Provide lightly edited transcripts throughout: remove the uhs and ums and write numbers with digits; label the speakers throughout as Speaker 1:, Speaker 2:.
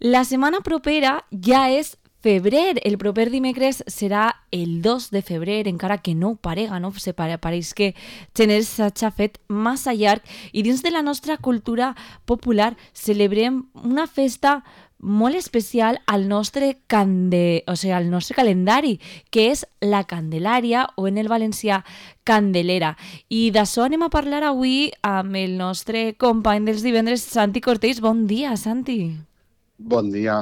Speaker 1: La setmana propera ja és febrer. El proper dimecres serà el 2 de febrer, encara que no ho parega, no? Pareix que gener s'ha fet massa llarg i dins de la nostra cultura popular celebrem una festa molt especial al nostre al nostre calendari, que és la Candelària o en el valencià Candelera. I d'això anem a parlar avui amb el nostre company dels divendres, Santi Cortells. Bon dia, Santi.
Speaker 2: Bon dia.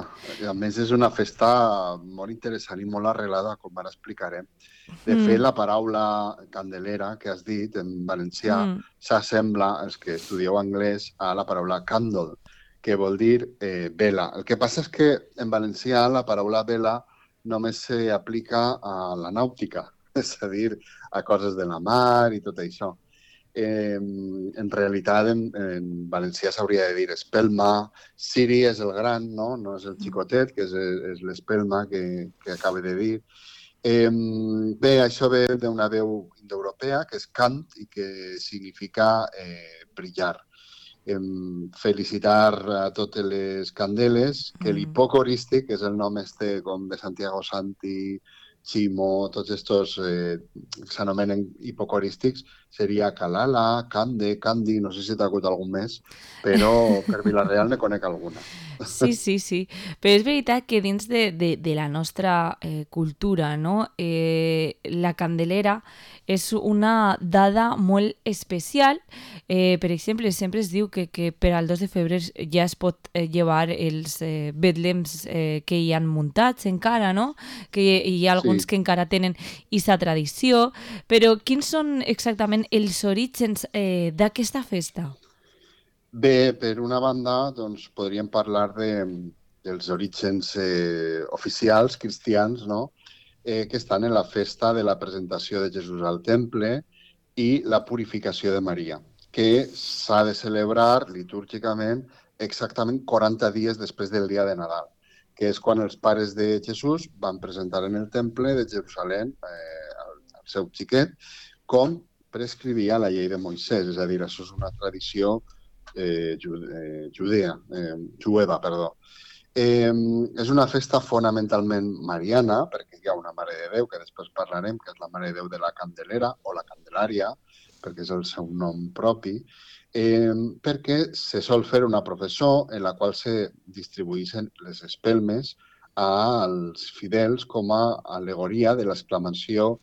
Speaker 2: A més, és una festa molt interessant i molt arrelada, com ara explicarem. De fet, la paraula candelera que has dit en valencià s'assembla, els que estudieu anglès, a la paraula candle, que vol dir vela. El que passa és que en valencià la paraula vela només s'aplica a la nàutica, és a dir, a coses de la mar i tot això. En realitat, en valencià s'hauria de dir espelma. Siri és el gran, no? No és el xicotet, que és l'espelma que acaba de dir. Bé, això ve d'una veu indoeuropea, que és cant i que significa brillar. Felicitar a totes les candeles, que l'hipocorístic, que és el nom com de Santiago Santi, Ximo, tots estos s'anomenen hipocorístics, seria Calala, Cande, Candi, no sé si t'ha acut algun més, però per Vila-real ne conec alguna.
Speaker 1: Sí, sí, sí. Però és veritat que dins de la nostra cultura, no? La Candelera és una dada molt especial. Per exemple, sempre es diu que per al 2 de febrer ja es pot llevar els betlems que hi han muntats encara, no? Que hi ha alguns que encara tenen aquesta tradició. Però quins són exactament els orígens d'aquesta festa?
Speaker 2: Bé, per una banda, doncs, podríem parlar dels orígens oficials cristians, no? Que estan en la festa de la presentació de Jesús al temple i la purificació de Maria, que s'ha de celebrar litúrgicament exactament 40 dies després del dia de Nadal, que és quan els pares de Jesús van presentar en el temple de Jerusalem el seu xiquet, com prescrivia la llei de Moisès, és a dir, això és una tradició jueva, perdó. És una festa fonamentalment mariana, perquè hi ha una Mare de Déu, que després parlarem, que és la Mare de Déu de la Candelera o la Candelària, perquè és el seu nom propi, perquè se sol fer una processó en la qual se distribueixen les espelmes als fidels com a al·legoria de l'exclamació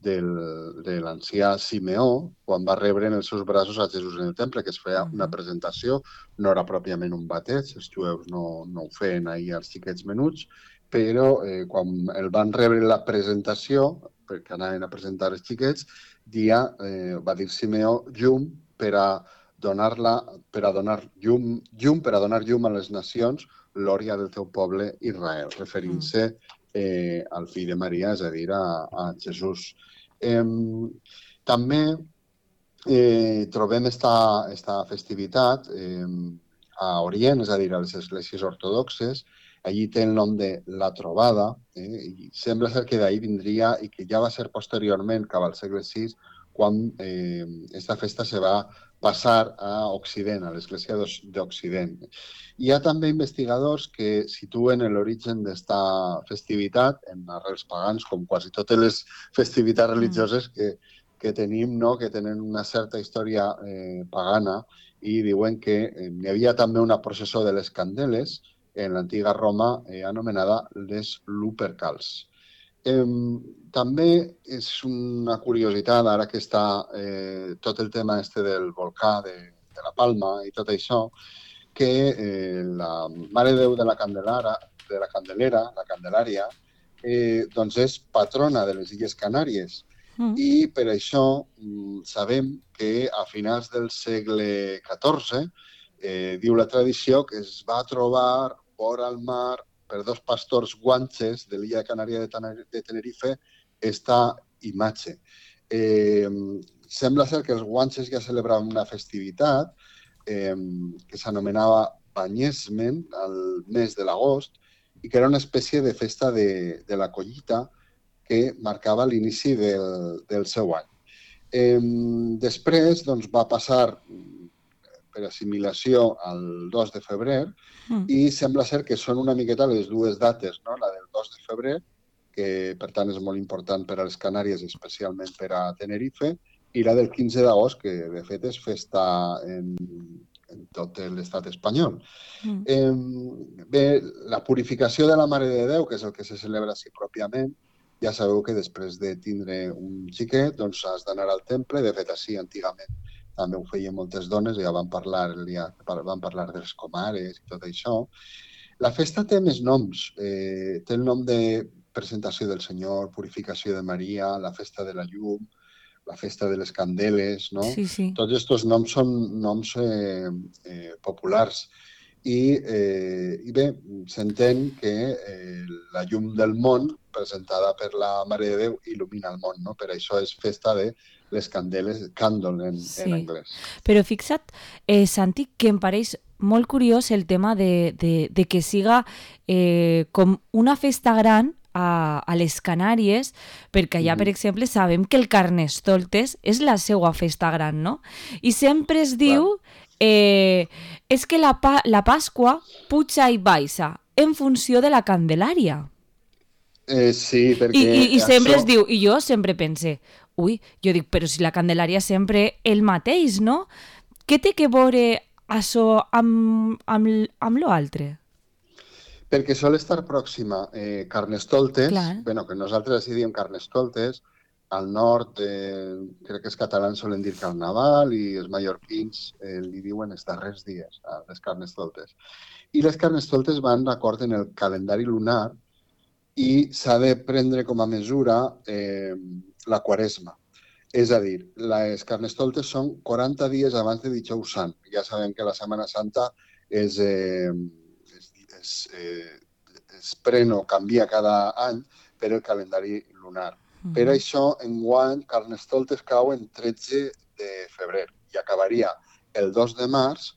Speaker 2: de l'ancià Simeó quan va rebre en els seus braços a Jesús en el temple, que es feia una presentació, no era pròpiament un bateig, els jueus no ho feien ahir als xiquets menuts, però quan el van rebre la presentació, perquè anaven a presentar els xiquets, va dir Simeó llum per a donar llum a les nacions, glòria del teu poble Israel, referint-se al fill de Maria, és a dir, a Jesús. També trobem esta festivitat a Orient, és a dir, a les esglésies ortodoxes. Allí té el nom de la trobada, i sembla ser que d'ahir vindria i que ja va ser posteriorment, cap al segle VI, quan esta festa se va passar a Occident, a l'Església d'Occident. Hi ha també investigadors que situen l'origen d'esta festivitat en arrels pagans, com quasi totes les festivitats religioses que tenim, no? Que tenen una certa història pagana, i diuen que hi havia també una processó de les candeles en l'antiga Roma anomenada les Lupercals. També és una curiositat, ara que està tot el tema del volcà de la Palma i tot això, que la Mare de Déu de la Candelera, la Candelària, doncs és patrona de les Illes Canàries. I per això sabem que a finals del segle XIV diu la tradició que es va trobar vora al mar per dos pastors guanxes de l'illa de Canària de Tenerife esta imatge. Sembla ser que els guanxes ja celebraven una festivitat que s'anomenava Banyesmen al mes de l'agost i que era una espècie de festa de la collita que marcava l'inici del seu any. Després doncs, va passar per assimilació al 2 de febrer i sembla ser que són una miqueta les dues dates, no? La del 2 de febrer, que per tant és molt important per a les Canàries, especialment per a Tenerife, i la del 15 d'agost, que de fet és festa en tot l'estat espanyol. Bé, la purificació de la Mare de Déu, que és el que se celebra així pròpiament, ja sabeu que després de tindre un xiquet doncs has d'anar al temple. De fet, així antigament també ho feien moltes dones, ja van parlar de les comares i tot això. La festa té més noms. Té el nom de presentació del Senyor, purificació de Maria, la festa de la llum, la festa de les candeles, no?
Speaker 1: Sí, sí.
Speaker 2: Tots aquests noms són noms populars. I bé, s'entén que la llum del món, presentada per la Mare de Déu, il·lumina el món, no? Per això és festa de les candeles, candle en anglès.
Speaker 1: Però fixa't, Santi, que em pareix molt curiós el tema de que siga com una festa gran a les Canàries, perquè allà, per exemple, sabem que el Carnestoltes és la seva festa gran, no? I sempre es diu és que la Pasqua puja i baixa en funció de la Candelària.
Speaker 2: Sí, perquè...
Speaker 1: I sempre es diu, i jo sempre pense, jo dic, però si la Candelària sempre el mateix, no? Què té que veure això amb l'altre?
Speaker 2: Perquè sol estar pròxima Carnestoltes,
Speaker 1: Clar.
Speaker 2: que nosaltres així diem Carnestoltes, al nord crec que els catalans solen dir Carnaval i els mallorquins li diuen els darrers dies, les Carnestoltes. I les Carnestoltes van d'acord en el calendari lunar i s'ha de prendre com a mesura la Quaresma. És a dir, les Carnestoltes són 40 dies abans de Dijous Sant. Ja sabem que la Setmana Santa es pren o canvia cada any per el calendari lunar. Per això, enguany, Carnestoltes cau en 13 de febrer i acabaria el 2 de març,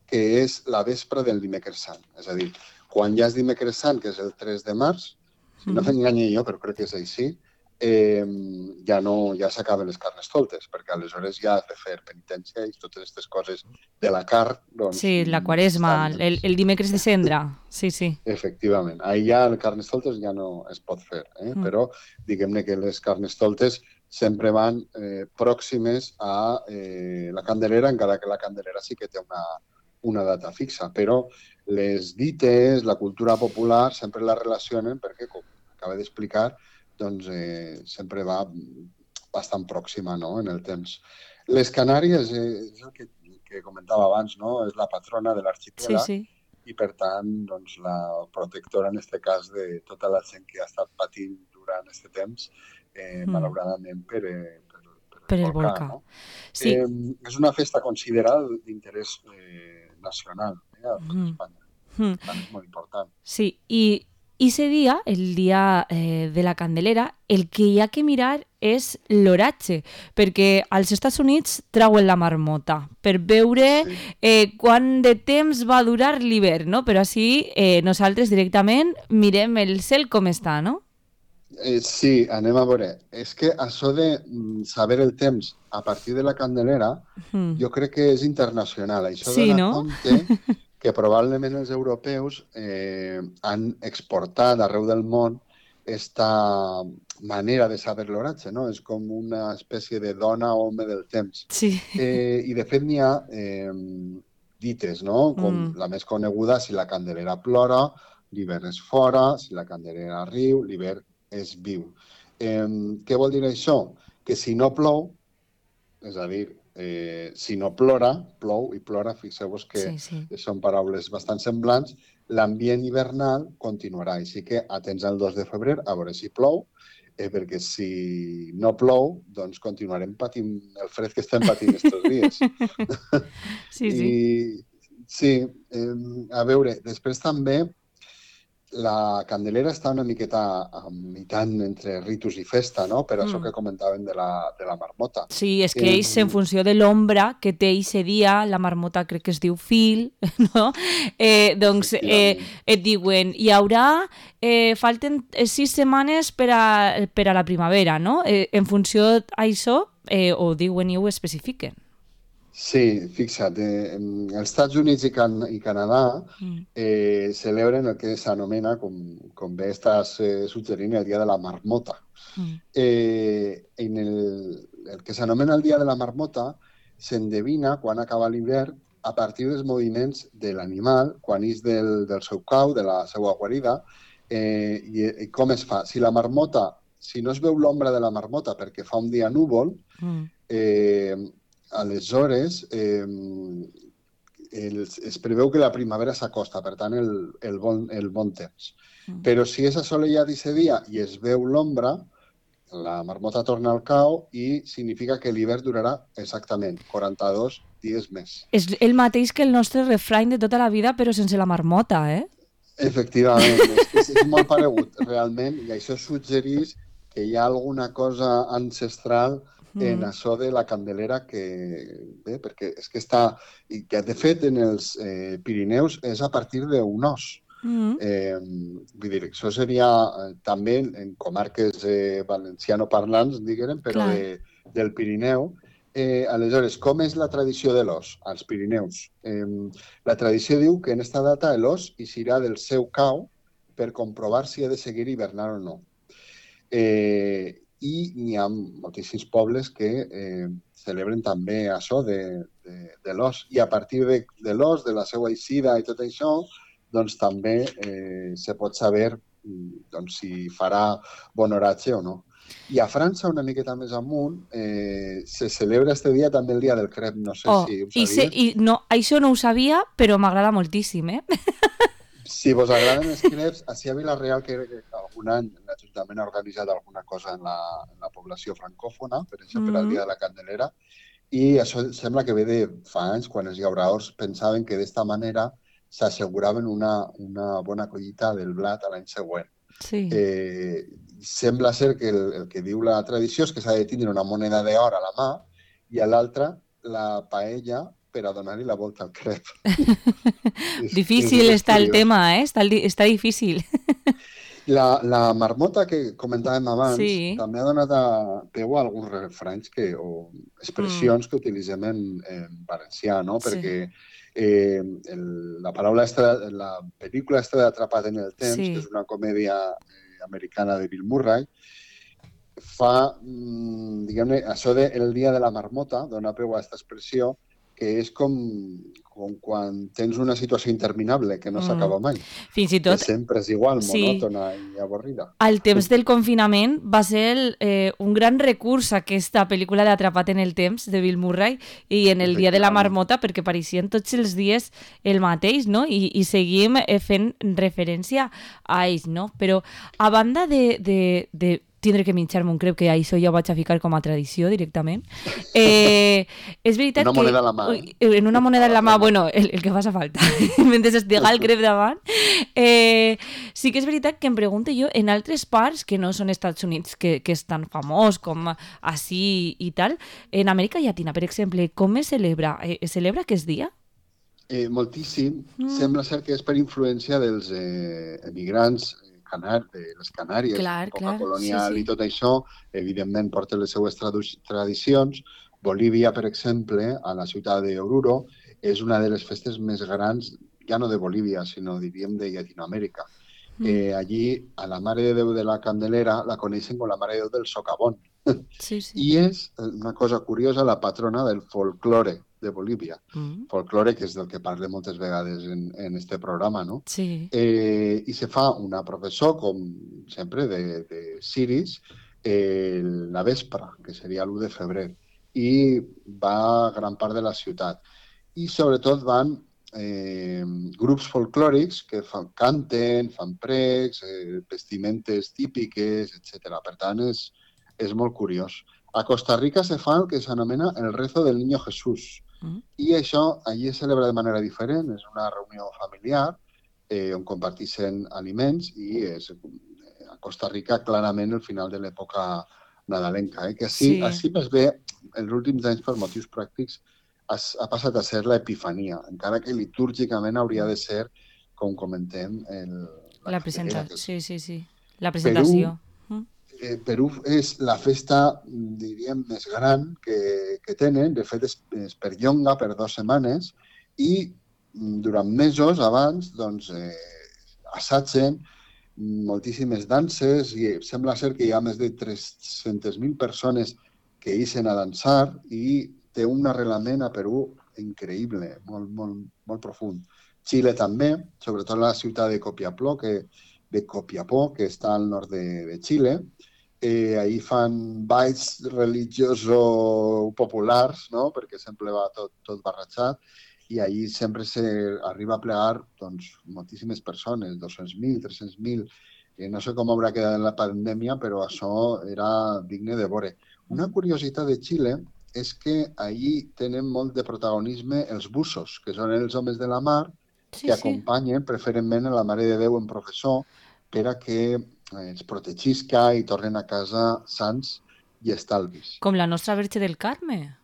Speaker 2: que és la vespra del dimecres sant. És a dir, quan ja és dimecres sant, que és el 3 de març, si no m'enganye jo, però crec que és així, ja s'acaben les Carnestoltes, perquè aleshores ja has de fer penitència i totes aquestes coses de la carn. Doncs,
Speaker 1: sí, la Quaresma, el dimecres de cendra, sí.
Speaker 2: Efectivament, ahir ja el Carnestoltes ja no es pot fer, però diguem-ne que les Carnestoltes sempre van pròximes a la Candelera, encara que la Candelera sí que té una data fixa, però les dites, la cultura popular sempre la relacionen perquè, com acaba d'explicar, doncs sempre va bastant pròxima, no?, en el temps. Les Canàries, és el que comentava abans, no?, és la patrona de l'arxipèlag i, per tant, doncs, la protectora, en aquest cas, de tota la gent que ha estat patint durant aquest temps, malauradament per el volcà. No?
Speaker 1: Sí.
Speaker 2: És una festa considerada d'interès nacional a Espanya. Per tant, és molt important.
Speaker 1: Sí, i ese dia, el dia de la Candelera, el que hi ha que mirar és l'oratge, perquè als Estats Units trauen la marmota per veure quant de temps va durar l'hivern, no? Però així nosaltres directament mirem el cel com està, no?
Speaker 2: Sí, anem a veure. És que això de saber el temps a partir de la Candelera jo crec que és internacional. Això dona compte que probablement els europeus han exportat arreu del món aquesta manera de saber l'oratge, no? És com una espècie de dona o home del temps.
Speaker 1: Sí.
Speaker 2: I de fet n'hi ha dites, no? Com la més coneguda, si la Candelera plora, l'hivern és fora, si la Candelera riu, l'hivern és viu. Què vol dir això? Que si no plou, és a dir, si no plora, plou i plora, fixeu-vos que són paraules bastant semblants, l'ambient hivernal continuarà. Així que atents al 2 de febrer a veure si plou, perquè si no plou, doncs continuarem patint el fred que estem patint aquests dies. Sí, a veure, després també la Candelera està una miqueta imitant entre ritus i festa, no? Per això que comentàvem de la marmota.
Speaker 1: Sí, és que ells, en funció de l'ombra que té aquest dia, la marmota crec que es diu fil, no? Doncs et diuen, hi haurà, falten 6 setmanes per a la primavera, no? En funció d'això, ho diuen i ho especifiquen.
Speaker 2: Sí, fixa't, els Estats Units i Canadà
Speaker 1: Mm,
Speaker 2: celebren el que s'anomena, com bé estàs suggerint, el Dia de la Marmota.
Speaker 1: mm,
Speaker 2: El que s'anomena el Dia de la Marmota s'endevina quan acaba l'hivern a partir dels moviments de l'animal, quan és del seu cau, de la seva guarida, i com es fa. Si no es veu l'ombra de la marmota perquè fa un dia núvol,
Speaker 1: mm,
Speaker 2: eh, aleshores es preveu que la primavera s'acosta, per tant, el bon temps.
Speaker 1: mm.
Speaker 2: Però si és assolellat aquest dia i es veu l'ombra, la marmota torna al cau i significa que l'hivern durarà exactament 42 dies més.
Speaker 1: És el mateix que el nostre refrany de tota la vida, però sense la marmota, eh?
Speaker 2: Efectivament, és molt paregut, realment, i això suggereix que hi ha alguna cosa ancestral en
Speaker 1: Mm,
Speaker 2: això de la Candelera bé, perquè és que està, i que de fet en els Pirineus és a partir d'un os.
Speaker 1: mm,
Speaker 2: Vull dir, això seria també en comarques valencianoparlants, diguem, però
Speaker 1: clar.
Speaker 2: del Pirineu. Aleshores, com és la tradició de l'os als Pirineus? La tradició diu que en esta data l'os eixirà del seu cau per comprovar si ha de seguir hivernant o no. I n'hi ha moltíssims pobles que celebren també això de l'os. I a partir de l'os, de la seva eixida i tot això, doncs també se pot saber doncs, si farà bon oratge o no. I a França, una miqueta més amunt, se celebra este dia també el dia del crep. No sé
Speaker 1: Oh,
Speaker 2: si ho
Speaker 1: i
Speaker 2: sabies.
Speaker 1: no, això no ho sabia, però m'agrada moltíssim, eh?
Speaker 2: Si vos agraden els creps, així a Vila-real que algun any l'Ajuntament ha organitzat alguna cosa en la població francòfona, per exemple, el
Speaker 1: Mm,
Speaker 2: Dia de la Candelera, i això sembla que ve de fa anys, quan els llauraors pensaven que d'esta manera s'asseguraven una bona collita del blat a l'any següent.
Speaker 1: sí.
Speaker 2: Eh, Sembla ser que el que diu la tradició és que s'ha de tindre una moneda d'or a la mà i a l'altra la paella per a donar-li la volta al crep. És el
Speaker 1: Difícil
Speaker 2: que és
Speaker 1: està el
Speaker 2: curiós.
Speaker 1: tema, ¿eh? Está difícil.
Speaker 2: La marmota que comentàvem abans
Speaker 1: Sí.
Speaker 2: també ha donat peu a alguns refranys o
Speaker 1: Mm,
Speaker 2: expressions que utilitzem en valencià, no?
Speaker 1: sí.
Speaker 2: Perquè la paraula la pel·lícula esta d'Atrapat en el temps, que és
Speaker 1: Sí.
Speaker 2: una comèdia americana de Bill Murray, fa, diguem-ne, això de el dia de la marmota dona peu a aquesta expressió que és com quan tens una situació interminable que no
Speaker 1: Mm.
Speaker 2: s'acaba mai,
Speaker 1: Fins i
Speaker 2: que
Speaker 1: tot,
Speaker 2: sempre és igual,
Speaker 1: sí,
Speaker 2: monòtona i avorrida.
Speaker 1: al temps del confinament va ser un gran recurs aquesta pel·lícula d'Atrapat en el temps de Bill Murray i en el dia de la
Speaker 2: Efectivament.
Speaker 1: marmota perquè pareixien tots els dies el mateix, no? I seguim fent referència a ells, no? Però a banda de tindre que menjar-me un crep, que això ja ho vaig a ficar com a tradició directament. És veritat
Speaker 2: Una
Speaker 1: que
Speaker 2: moneda a la mà,
Speaker 1: en una moneda
Speaker 2: a
Speaker 1: en
Speaker 2: la
Speaker 1: la mà,
Speaker 2: plena.
Speaker 1: bueno, el que faci falta, mentre estiga el crep davant, sí que és veritat que em pregunto jo, en altres parts que no són Estats Units, que és tan famós com així i tal, en Amèrica Llatina, per exemple, com es celebra? Es celebra aquest dia?
Speaker 2: Moltíssim.
Speaker 1: Mm,
Speaker 2: Sembla ser que és per influència dels emigrants de les Canàries, en
Speaker 1: clar,
Speaker 2: època
Speaker 1: clar, sí,
Speaker 2: colonial i
Speaker 1: sí.
Speaker 2: tot això, evidentment porten les seues tradicions. Bolívia, per exemple, a la ciutat d'Oruro, és una de les festes més grans, ja no de Bolívia, sinó, diríem, de Llatinoamèrica.
Speaker 1: Mm,
Speaker 2: Allí, a la Mare de Déu de la Candelera la coneixen com la Mare de Déu del Socavón.
Speaker 1: sí, sí.
Speaker 2: I és una cosa curiosa, la patrona del folklore de Bolívia.
Speaker 1: Mm,
Speaker 2: Folklore, que és del que parle moltes vegades en este programa, no?
Speaker 1: sí.
Speaker 2: I se fa una professó, com sempre, de ciris, la vespra, que seria l'1 de febrer, i va a gran part de la ciutat. I sobretot van grups folclòrics que canten, fan precs, vestimentes típiques, etc. Per tant, és molt curiós. A Costa Rica se fa el que s'anomena el rezo del Niño Jesús.
Speaker 1: Mm,
Speaker 2: I això allí es celebra de manera diferent, és una reunió familiar on comparteixen aliments i és a Costa Rica clarament el final de l'època nadalenca. Que
Speaker 1: sí.
Speaker 2: així més bé, els últims anys per motius pràctics ha passat a ser l'Epifania, encara que litúrgicament hauria
Speaker 1: Mm.
Speaker 2: de ser, com comentem, la
Speaker 1: La
Speaker 2: Candelera,
Speaker 1: presenta,
Speaker 2: que és
Speaker 1: sí, sí, sí. La
Speaker 2: Perú,
Speaker 1: presentació. Mm.
Speaker 2: Perú és la festa, diríem, més gran que tenen. De fet, es perllonga per 2 setmanes i durant mesos abans doncs, assagen moltíssimes danses i sembla ser que hi ha més de 300.000 persones que ixen a dansar i té un arrelament a Perú increïble, molt, molt, molt profund. Xile també, sobretot la ciutat de Copiapó, que està al nord de Xile. Ahir fan balls religiosos populars, no? Perquè sempre va tot barrejat, i ahir sempre arriba a plegar doncs, moltíssimes persones, 200.000, 300.000. No sé com haurà quedat en la pandèmia, però això era digne de veure. Una curiositat de Xile és que ahir tenen molt de protagonisme els bussos, que són els homes de la mar,
Speaker 1: Sí,
Speaker 2: que
Speaker 1: sí.
Speaker 2: acompanyen preferentment a la Mare de Déu en processó per a que ens protegisca i tornen a casa sans i estalvis.
Speaker 1: Com la nostra Verge del Carme.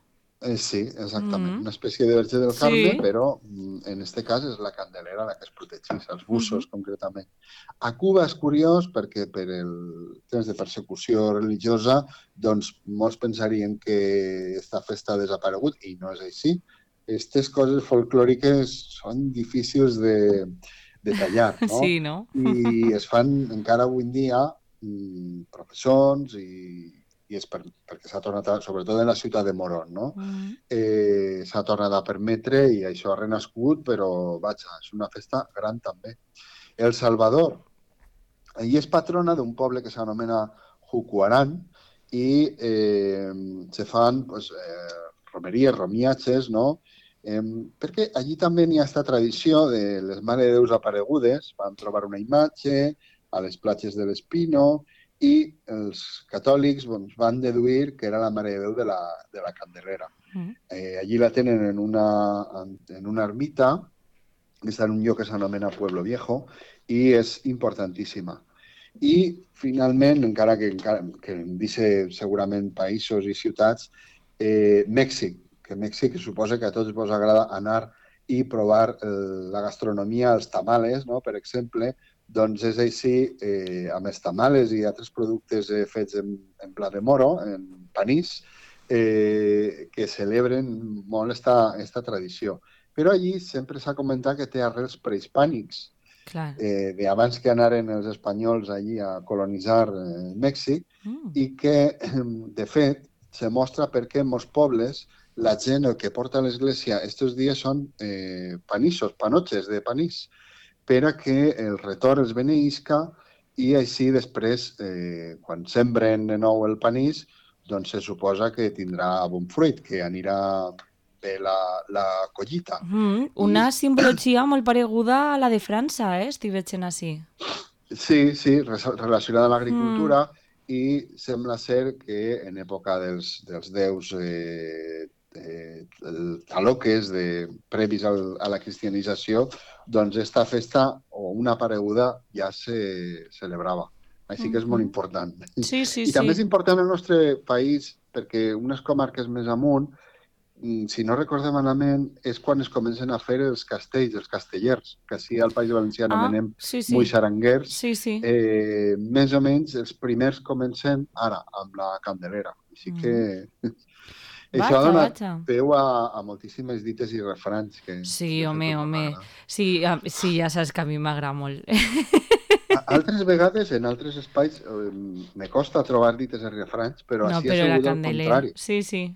Speaker 2: Sí, exactament.
Speaker 1: Mm.
Speaker 2: Una espècie de Verge del Carme,
Speaker 1: Sí.
Speaker 2: però en aquest cas és la Candelera la que es protegeix, els bussos
Speaker 1: Mhm.
Speaker 2: concretament. A Cuba és curiós perquè per el temps de persecució religiosa doncs molts pensarien que aquesta festa ha desaparegut i no és així. Aquestes coses folclòriques són difícils de tallar, no?
Speaker 1: Sí, no?
Speaker 2: I es fan encara avui en dia professons i és perquè s'ha tornat, sobretot en la ciutat de Morón, no?
Speaker 1: Mm.
Speaker 2: S'ha tornat a permetre i això ha renascut, però vaja, és una festa gran també. El Salvador, ell és patrona d'un poble que s'anomena Jucuarán i se fan pues, romeries, romiatges, no? Perquè allí també n'hi ha aquesta tradició de les Mare de Déus aparegudes, van trobar una imatge a les platges de l'Espino i els catòlics doncs, van deduir que era la Mare de Déu de la Candelera.
Speaker 1: Mm.
Speaker 2: Allí la tenen en una ermita, que està en un lloc que s'anomena Pueblo Viejo, i és importantíssima. I, finalment, encara que en dice segurament països i ciutats, Mèxic, que Mèxic suposa que a tots vos agrada anar i provar la gastronomia, els tamales, no? Per exemple, doncs és així, amb els tamales i altres productes fets en pla de moro, en panís, que celebren molt esta tradició. Però allí sempre s'ha comentat que té arrels prehispànics,
Speaker 1: Clar.
Speaker 2: d'abans que anaren els espanyols allí a colonitzar Mèxic
Speaker 1: Mm.
Speaker 2: i que, de fet, se mostra perquè en molts pobles la gent el que porta a l'església estos dies són panissos, panotxes de panís, per a que el retorn els beneïsca i així després, quan sembren de nou el panís, doncs se suposa que tindrà bon fruit, que anirà bé la collita.
Speaker 1: Una
Speaker 2: I
Speaker 1: simbologia molt pareguda a la de França, estic veient així.
Speaker 2: sí, relacionada amb
Speaker 1: Mm.
Speaker 2: l'agricultura i sembla ser que en època dels déus taloques previs a la cristianització, doncs esta festa o una apareguda ja se celebrava. Així que és molt
Speaker 1: Mhm.
Speaker 2: important.
Speaker 1: Sí, sí,
Speaker 2: I també és
Speaker 1: sí.
Speaker 2: important el nostre país perquè unes comarques més amunt, si no recordem malament, és quan es comencen a fer els castells, els castellers, que així al País Valencià
Speaker 1: Ah,
Speaker 2: anomenem
Speaker 1: sí, sí.
Speaker 2: moixaranguers.
Speaker 1: Sí, sí.
Speaker 2: Més o menys els primers comencen ara, amb la Candelera. Així que
Speaker 1: Mm.
Speaker 2: això ha
Speaker 1: Vaja,
Speaker 2: donat
Speaker 1: vaja.
Speaker 2: peu a moltíssimes dites i refranys que
Speaker 1: Sí,
Speaker 2: sé que
Speaker 1: home,
Speaker 2: us van
Speaker 1: home.
Speaker 2: agradar.
Speaker 1: Sí, sí, ja saps que a mi m'agrada molt.
Speaker 2: Altres vegades, en altres espais, me costa trobar dites i refranys, però
Speaker 1: No,
Speaker 2: així ha
Speaker 1: però la
Speaker 2: sigut el
Speaker 1: Candelera.
Speaker 2: contrari.
Speaker 1: Sí, sí.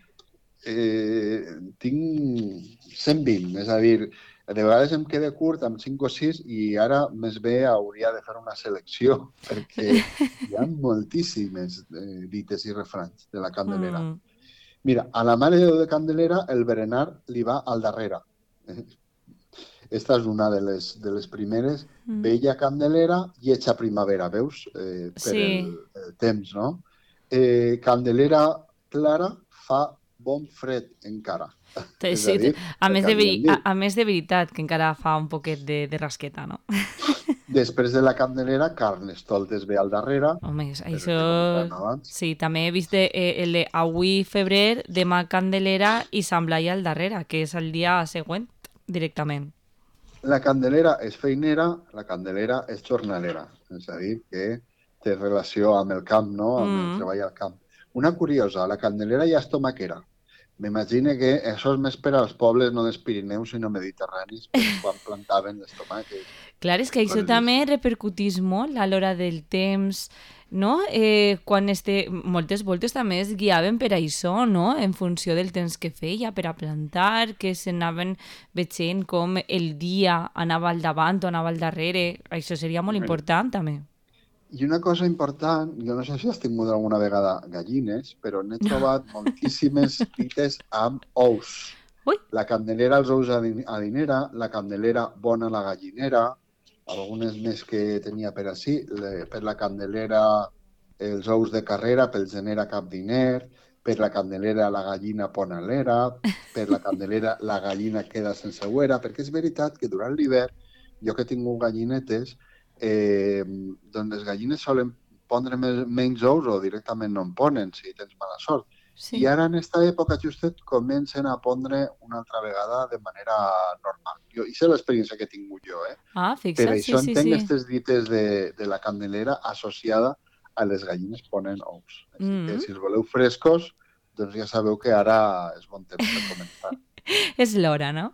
Speaker 2: Tinc 120, és a dir, de vegades em queda curt amb 5 o 6 i ara més bé hauria de fer una selecció perquè hi ha moltíssimes dites i refranys de la Candelera.
Speaker 1: Mm.
Speaker 2: Mira, a la Mare de Déu de Candelera el berenar li va al darrere. Esta és una de les primeres.
Speaker 1: Mm.
Speaker 2: Bella Candelera i hecha primavera, veus? Per
Speaker 1: Sí.
Speaker 2: el temps, no? Candelera clara fa bon fred encara. És a
Speaker 1: Sí,
Speaker 2: dir,
Speaker 1: a
Speaker 2: el
Speaker 1: més
Speaker 2: que havíem dit.
Speaker 1: a més de veritat, que encara fa un poquet de rasqueta, no?
Speaker 2: Després de la Candelera, Carnestoltes ve al darrere,
Speaker 1: Home,
Speaker 2: per el
Speaker 1: això...
Speaker 2: que comentàvem abans.
Speaker 1: Sí, també he vist el de avui febrer, demà Candelera i Sant Blai al darrere, que és el dia següent, directament.
Speaker 2: La Candelera és feinera, la Candelera és jornalera. És a dir, que té relació amb el camp, no? Amb el treball al camp. Una curiosa, la Candelera ja és tomaquera. M'imagino que això és més per als pobles no dels Pirineus, sinó mediterranis, per quan plantaven les tomàquets.
Speaker 1: Clar, és que això també repercutís molt a l'hora del temps, no? Quan moltes voltes també es guiaven per això, no? En funció del temps que feia per a plantar, que s'anaven veient com el dia anava al davant o anava al darrere. Això seria molt important també.
Speaker 2: I una cosa important, jo no sé si has tingut alguna vegada gallines, però n'he trobat moltíssimes dites amb ous.
Speaker 1: Ui.
Speaker 2: La Candelera, els ous a dinera, la Candelera, bona la gallinera, algunes més que tenia per així, per la Candelera, els ous de carrera, pel gener a cap diner, per la Candelera, la gallina ponalera, per la Candelera, la gallina queda sense uera, perquè és veritat que durant l'hivern, jo que he tingut gallinetes, doncs les gallines solen pondre menys ous o directament no en ponen, si tens mala sort. Sí. I ara en aquesta època justet comencen a pondre una altra vegada de manera normal. Això és l'experiència que he tingut jo.
Speaker 1: Fixa't,
Speaker 2: per això entenc aquestes dites de la Candelera associada a les gallines ponen ous. Així que si els voleu frescos, doncs ja sabeu que ara és bon temps per començar.
Speaker 1: És l'hora, no?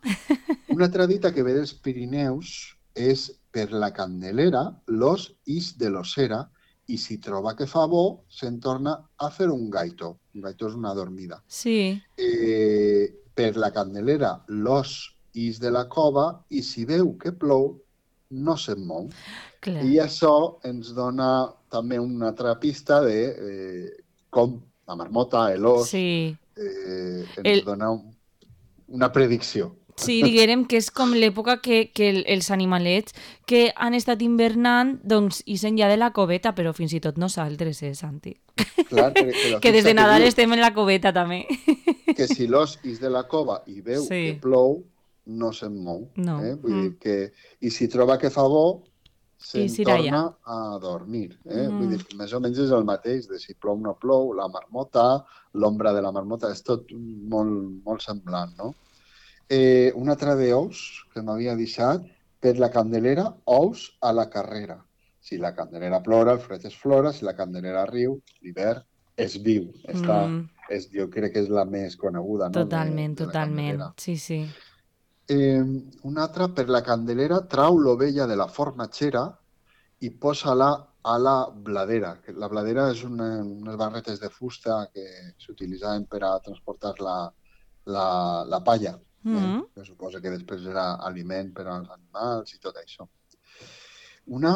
Speaker 2: Una altra dita que ve dels Pirineus és per la Candelera, l'os ix de l'ossera, i si troba que fa bo, se'n torna a fer un gaito. Un gaito és una dormida.
Speaker 1: Sí.
Speaker 2: Per la Candelera, l'os ix de la cova, i si veu que plou, no se'n mou. Clar. I això ens dona també una altra pista de com la marmota, l'os, ens dona una predicció.
Speaker 1: Sí, diguem que és com l'època que els animalets que han estat invernant, doncs, ixen ja de la coveta, però fins i tot nosaltres, Santi?
Speaker 2: Clar,
Speaker 1: que des de Nadal estem en la coveta, també.
Speaker 2: Que si l'os ix de la cova i veu que plou, no se'n mou.
Speaker 1: No.
Speaker 2: Vull dir que... I si troba que fa bo, se'n torna a dormir. Vull dir que més o menys és el mateix, de si plou o no plou, la marmota, l'ombra de la marmota, és tot molt, molt semblant, no? Un altre d'ous que m'havia deixat, per la Candelera, ous a la carrera. Si la Candelera plora, el fred es flora, si la Candelera riu, l'hivern es viu. Jo crec que és la més coneguda, no?
Speaker 1: Totalment, totalment. Sí, sí.
Speaker 2: Una altra, per la Candelera, trau l'ovella de la formatgera i posa-la a la bladera. La bladera és unes barretes de fusta que s'utilitzaven per a transportar la palla. Que suposa que després era aliment per als animals i tot això. Una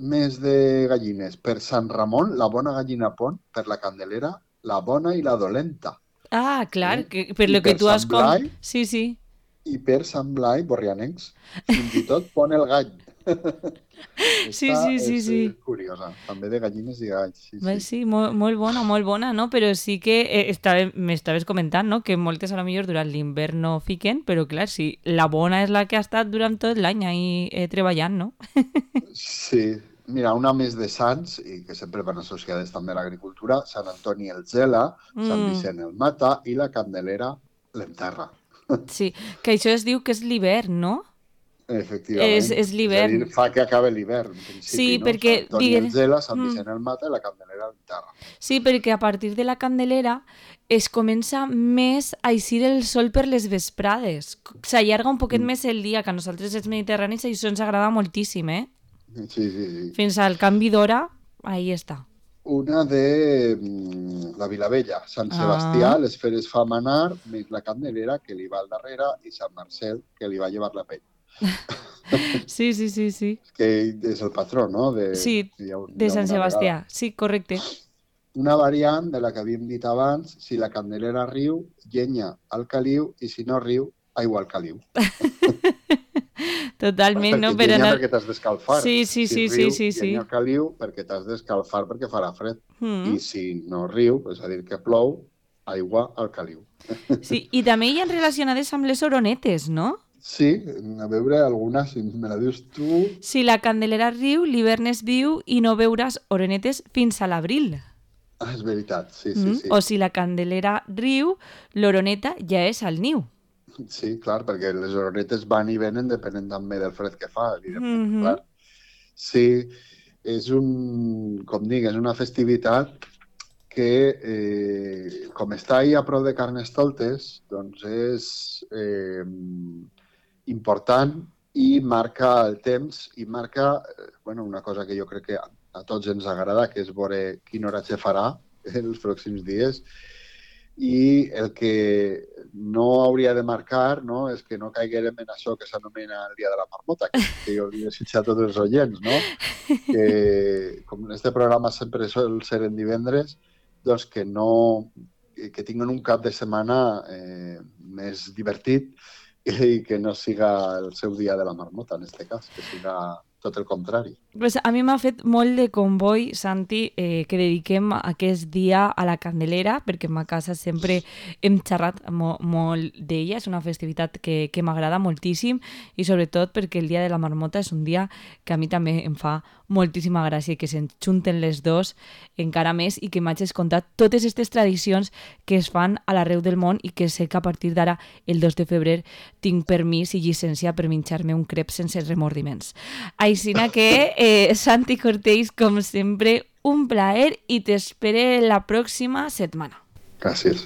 Speaker 2: més de gallines. Per Sant Ramon, la bona gallina pon, per la Candelera, la bona i la dolenta.
Speaker 1: Clar, per lo que tu has... Sí, sí.
Speaker 2: I per Sant Blai, borrianencs, fins i tot pon el gall.
Speaker 1: Sí.
Speaker 2: És curiosa, també de gallines i galls.
Speaker 1: Sí, molt bona, no? Però sí que m'estaves comentant, no? Que moltes a lo millor durant l'hivern no fiquen, però clar, sí, la bona és la que ha estat durant tot l'any ahí treballant, no?
Speaker 2: Sí, mira, una més de sants, i que sempre van associades també a l'agricultura, Sant Antoni el gela, Sant Vicent el mata i la Candelera l'enterra.
Speaker 1: Sí, que això es diu que és l'hivern, no?
Speaker 2: Efectivament.
Speaker 1: És l'hivern.
Speaker 2: És a dir, fa que acabe l'hivern, en principi,
Speaker 1: sí,
Speaker 2: no?
Speaker 1: Perquè...
Speaker 2: Sant Antoni el gela, Sant Vicent el mata i la Candelera l'enterra.
Speaker 1: Sí, perquè a partir de la Candelera es comença més a eixir el sol per les vesprades. S'allarga un poquet més el dia, que a nosaltres els mediterranis això ens agrada moltíssim,
Speaker 2: Sí.
Speaker 1: Fins al canvi d'hora, ahí està.
Speaker 2: Una de la Vilavella, Sant Sebastià, les feres fa manar, més la Candelera, que li va al darrere, i Sant Marcel, que li va llevar la pell.
Speaker 1: Sí.
Speaker 2: Que és el patró, no?
Speaker 1: de Sant Sebastià, sí, correcte.
Speaker 2: Una variant de la que havíem dit abans, si la Candelera riu, llenya al caliu, i si no riu, aigua al caliu.
Speaker 1: Totalment, no?
Speaker 2: Llenya perquè t'has d'escalfar.
Speaker 1: Sí.
Speaker 2: Llenya al caliu perquè t'has d'escalfar perquè farà fred. I si no riu, és a dir, que plou, aigua al caliu.
Speaker 1: Sí, i també hi ha relacionades amb les oronetes, no?
Speaker 2: Sí, a veure alguna, si me la dius tu...
Speaker 1: Si la Candelera riu, l'hivern és viu i no veuràs oronetes fins a l'abril.
Speaker 2: És veritat, sí.
Speaker 1: O si la Candelera riu, l'oroneta ja és al niu.
Speaker 2: Sí, clar, perquè les oronetes van i venen depenent també del fred que fa, evidentment, clar. Sí, és una festivitat que, com està ahí a prop de Carnestoltes, doncs és important i marca el temps i marca una cosa que jo crec que a tots ens agrada, que és veure quin oratge farà els pròxims dies. I el que no hauria de marcar, no, és que no caiguérem en això que s'anomena el dia de la marmota, que jo li desitjo a tots els oients, no? Que com este programa sempre sol ser en divendres, doncs que tinguin un cap de setmana més divertit i que no siga el seu dia de la marmota, en este cas, que siga tot el contrari.
Speaker 1: Pues a mi m'ha fet molt de comboi, Santi, que dediquem aquest dia a la Candelera, perquè a ma casa sempre hem xerrat molt d'ella, és una festivitat que m'agrada moltíssim i sobretot perquè el dia de la marmota és un dia que a mi també em fa moltíssima gràcia i que s'enxunten les dos encara més i que m'hagis contat totes aquestes tradicions que es fan a l'arreu del món i que sé que a partir d'ara, el 2 de febrer, tinc permís i llicència per menjar-me un crep sense remordiments. Aixina que, Santi Cortells, com sempre, un plaer i t'espere la pròxima setmana.
Speaker 2: Gràcies.